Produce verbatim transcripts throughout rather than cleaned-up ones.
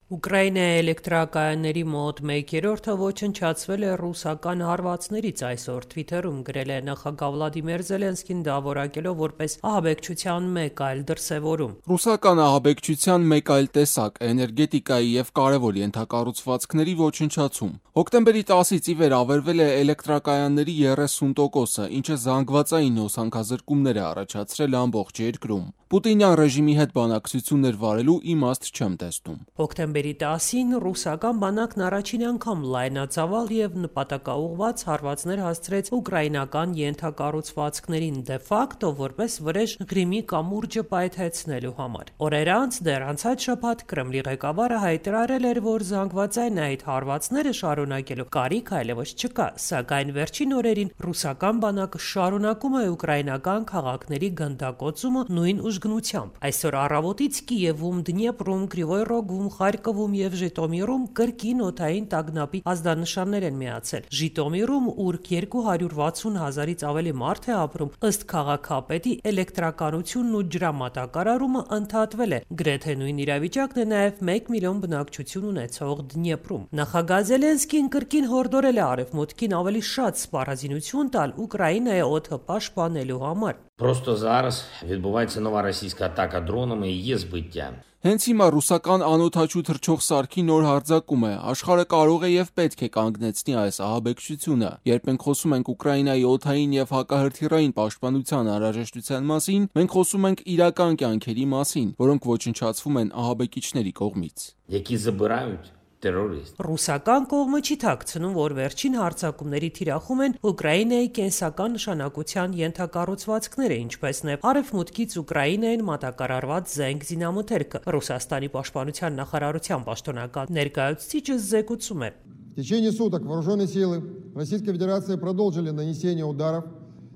Ուկրաինայի էլեկտրակայանների մոտ մեկ երրորդը ոչնչացվել է ռուսական հարվածներից, այսօր Թվիթերում գրել է նախագահ Վլադիմիր Զելենսկին, դա որակելով որպես ահաբեկչության մեկ այլ դրսևորում։ Ռուսական ահաբեկչության մեկ այլ տեսակ՝ էներգետիկայի և կարևոր ենթակառուցվածքների ոչնչացում։ Հոկտեմբերի տասից ի վեր ավերվել է էլեկտրակայանների երեսուն տոկոսը, ինչը զանգվածային հոսանքազրկումներ է առաջացրել ամբողջ երկրում։ Պուտինյան ռեժիմի հետ բանակցություններ վարելու իմաստ չեմ տեսնում։ Հոկտեմբերի տասին ռուսական բանակն առաջին անգամ լայնածավալ և նպատակաուղղված հարվածներ հասցրեց ուկրաինական ենթակառուցվածքներին դե ֆակտո որպես վրեժ Ղրիմի կամուրջը պայթեցնելու համար։ Օրեր անց դեռ անցած շաբաթ Կրեմլի ղեկավարը հայտարարել էր, որ զանգվածային այդ հարվածները շարունակելու կարիք այլևս չկա, սակայն վերջին օրերին ռուսական բանակը շարունակում է ուկրաինական քաղաքների գնդակոծումը նույն ուժգնությամբ։ Այսօր առավոտից Կիևում, Դնեպրում, Կրիվոյ Ռոգում, Խարկովում և Ժիտոմիրում կրկին օդային տագնապի ազդանշաններ են միացել։ Ժիտոմիրում, ուր երկու հարյուր վաթսուն հազարից ավելի մարդ է ապրում, ըստ քաղաքապետի, էլեկտրականությունն ու ջրամատակարարումը ընդհատվել է։ Գրեթե նույն իրավիճակն է նաև մեկ միլիոն բնակչություն ունեցող Դնեպրում։ Նախագահ Զելենսկին կրկին հորդորել է Արևմուտքին ավելի շատ սպառազինություն տալ Ուկրաինայի օդը պաշտպանելու համար։ Просто зараз відбувається нова російська атака дронами і є збиття. Հենց հիմա ռուսական անօդաչու թռչող սարքի նոր հարձակում է։ Աշխարհը կարող է եւ պետք է կանգնեցնի այս ահաբեկչությունը։ Երբ մենք խոսում ենք Ուկրաինայի օդային եւ հակահրթիռային պաշտպանության անհրաժեշտության մասին, մենք խոսում ենք իրական կյանքերի մասին, որոնք ոչնչացվում են ահաբեկիչների կողմից, які забирають террорист. Ռուսական կողմը չի թաքցնում, որ վերջին հարձակումների թիրախում են Ուկրաինայի կենսական նշանակության ենթակառուցվածքները, ինչպես նաև Արևմուտքից Ուկրաինային մատակարարված զենք զինամթերքը։ Ռուսաստանի պաշտպանության նախարարության պաշտոնական ներկայացուցիչը զեկուցում է. В течение суток вооруженные силы Российской Федерации продолжили нанесение ударов.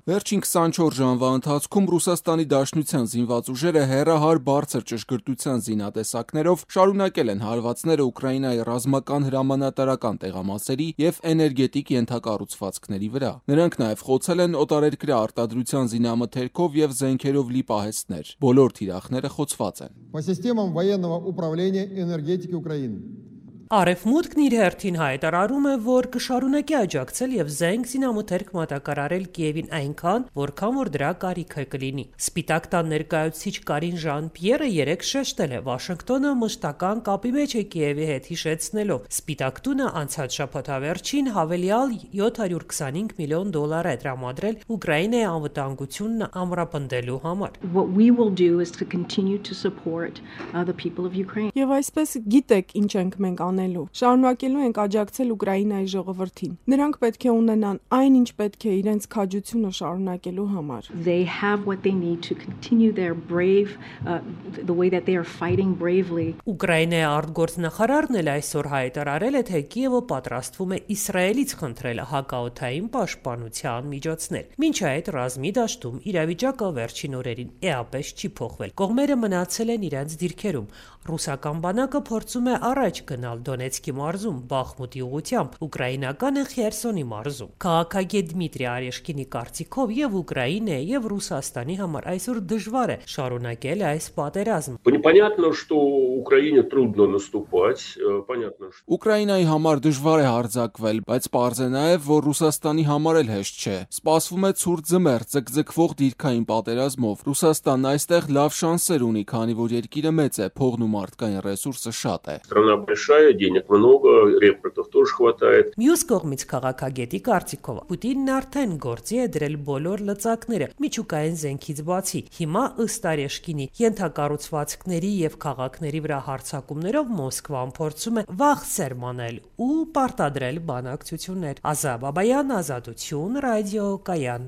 Վերջին քսանչորս ժամվա ընթացքում Ռուսաստանի Դաշնության զինված ուժերը հեռահար բարձր ճշգրտության զինատեսակներով շարունակել են հարվածները Ուկրաինայի ռազմական հրամանատարական տեղամասերի և էներգետիկ ենթակառուցվածքների վրա։ Նրանք նաև խոցել են օտարերկրյա արտադրության զինամթերքով և զենքերով լի պահեստներ։ Բոլոր թիրախները խոցված են։ По системам военного управления энергетики Украины. Արևմուտքն իր հերթին հայտարարում է, որ կշարունակի աջակցել և զենք զինամթերք մատակարարել Կիևին այնքան, որքան որ դրա կարիքը կլինի։ Սպիտակ տան ներկայացուցիչ Կարին Ժան-Պիերը երեկ շեշտել է, Վաշինգտոնը մշտական կապի մեջ է Կիևի հետ, հիշեցնելով. Սպիտակ տունը անցած շաբաթավերջին հավելյալ յոթ հարյուր քսանհինգ միլիոն դոլար է տրամադրել Ուկրաինայի անվտանգությունն ամրապնդելու համար։ What we will do is to continue to support uh, the people of Ukraine. Եվ այսպես գիտեք ինչ ենք մենք անում։ Շարունակելու ենք աջակցել Ուկրաինայի ժողովրդին։ Նրանք պետք է ունենան այն, ինչ պետք է իրենց քաջությունը շարունակելու համար։ They have what they need to continue their brave uh, the way that they are fighting bravely. Ուկրաինայի արտգործնախարարն էլ այսօր հայտարարել է, թե Կիևը պատրաստվում է Իսրայելից խնդրել հակաօդային պաշտպանության միջոցներ։ Մինչ այդ ռազմի դաշտում իրավիճակը վերջին օրերին էապես չի փոխվել։ Կողմերը մնացել են իրենց դիրքերում։ Ռուսական բանակը փորձում է առաջ գնալ Դոնեցկի մարզում, Բախմուտի ուղղությամբ, ուկրաինականը Խերսոնի մարզում։ Քաղաքագետ Դմիտրի Արեշկինի կարծիքով եւ Ուկրաինայի եւ Ռուսաստանի համար այսօր դժվար է շարունակել այս պատերազմը։ Понятно, что Украине трудно наступать, понятно, что Ուկրաինայի համար դժվար է հարձակվել, բայց պարզ է նաեւ, որ Ռուսաստանի համար էլ հեշտ չէ։ Սպասվում է ցուրտ ձմեռ, ձգձգվող դիրքային պատերազմով։ Ռուսաստանն այստեղ լավ շանսեր ունի, քանի որ երկիրը մեծ է, փողն ու մարդկային ռեսուրսը շատ է։ Страна большая, денег много, рекрутов тоже хватает. Մյուս կողմից քաղաքագետի կարծիքով Պուտինն արդեն գործի է դրել բոլոր լծակները միջուկային զենքից բացի։ Հիմա ըստ Արեշկինի ենթակառուցվածքների եւ քաղաքների վրա հարձակումներով Մոսկվան փորձում է վախ սերմանել ու պարտադրել բանակցություններ։ Ազա Բաբայան, Ազատություն, Ռադիո Կայան։